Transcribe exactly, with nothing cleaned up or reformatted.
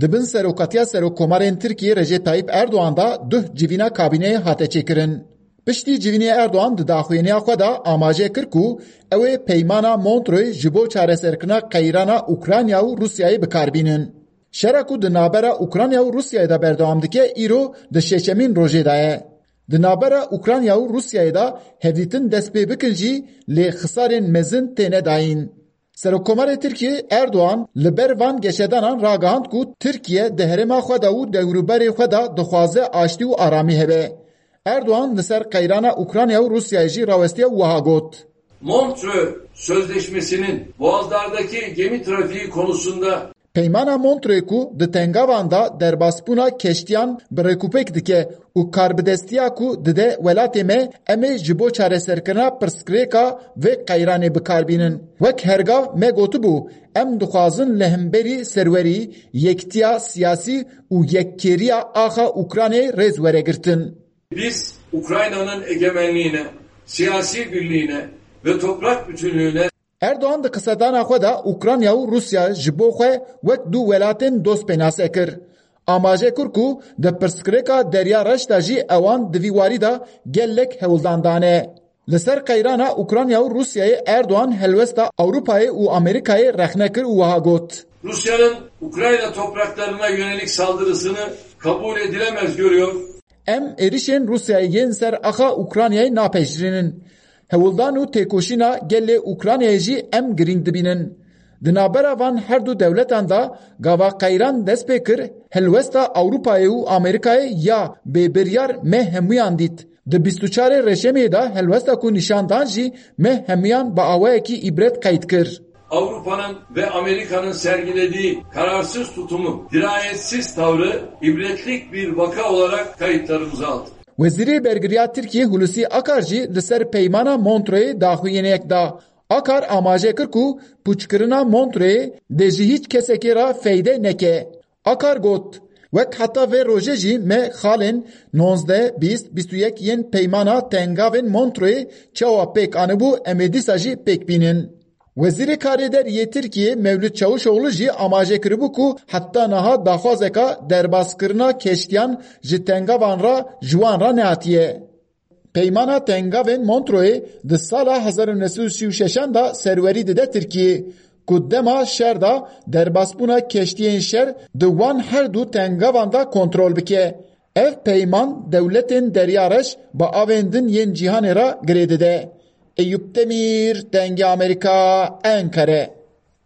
Di bin serokatiya Serokkomarên Tirkiyê Recep Tayyip Erdogan de duh civîna kabîneyê hate çêkirin. Piştî civînê Erdogan di daxuyaniya xwe de amaje kir ku ew ê peymana Montreux ji bo çareserkirina qeyrana Ukrayna û Rûsyayê bi kar bînin. Şera ku di navbera Ukrayna û Rûsyayê de berdewam dike, îro di şeşemîn rojê de ye. Di navbera Ukrayna û Rûsyayê de hevdîtin dest pê bikin jî, lê xisarên mezin têne dayîn. Serokkomarê Tirkiyê Erdogan li ber van geşedanan ragihand ku Tirkiye di herêma xwe de û dewrûberê xwe de dixwaze aştî û aramî hebe. Erdogan li ser qeyrana Ukrayna û Rûsyayê jî rawestiye û wiha got: Montreux Sözleşmesi'nin boğazlardaki gemi trafiği konusunda Peymana Montreux ku di tengavan de derbasbûna keştiyan bi rêkûpêk dike û karbidestiya ku dide welatê me, em ê ji bo çareserkirina pirsgirêka vê qeyranê bi kar bînin. Wek hergav me gotibû, em dixwazin li hemberî serwerî, yekitiya siyasî û yekkêriya axa Ukraynayê rêz were girtin. Biz Ukrayna'nın egemenliğine, siyasi birliğine ve toprak bütünlüğüne Erdogan di qisedana xwe de Ukrayna û Rûsya ji bo xwe wek du welatên dost pênase kir. Amaje kir ku di pirsgirêka Derya Reş de jî ewan di vî warî de gelek hewldan dane. Li ser qeyrana Ukrayna û Rûsyayê Erdogan helwesta Ewropayê û Amerîkayê rexne kir û wiha got: Rusya'nın Ukrayna topraklarına yönelik saldırısını kabul edilemez görüyor. Em êrişên Rûsyayê yên ser axa Ukraynayê napejirînin. Hewldan û têkoşîna gelê Ukraynayê jî em girîng dibînin. Di navbera van her du dewletan de gava qeyran dest pê kir, helwesta Ewropayê û Amerîkayê ya bêbiryar me hemûyan dît. Di bîst û çarê Reşemê de helwesta ku nîşan dan jî me hemûyan bi awayekî îbret qeyd kir. Avrupa'nın ve Amerika'nın sergilediği kararsız tutumu, dirayetsiz tavrı ibretlik bir vaka olarak kayıtlarımıza aldık. Wezîrê Bergiriya Tirkiyê Hulusi Akar jî li ser peymana Montreuxê daxuyaniyek da. Akar amaje kir ku pûçkirina Montreuxê dê ji hîç kesekê re feyde neke. Akar got: Wek heta vê rojê jî me xalên nozdeh, bîst, bîst û yek yên peymana tengavên Montreuxê çawa pêk anibû, em ê dîsa jî pêk bînin. Wezîrê Karê Derî yê Tirkiyê Mewlût Çavuşoglu jî amaje kiribû ku heta niha daxwazeka derbaskirina keştiyan ji tengavan re ji wan re nehatiye. Peymana tengavên Montreuxê di sala hezar û neh sed û sî û şeşan de serwerî dide Tirkiyê, ku dema şer de derbasbûna keştiyên şer di wan her du tengavan de kontrol bike. Ev peyman dewletên Derya Reş bi avên din yên cîhanê re girê dide. Eyûp Demîr, Dengê Amerîka, Enkere.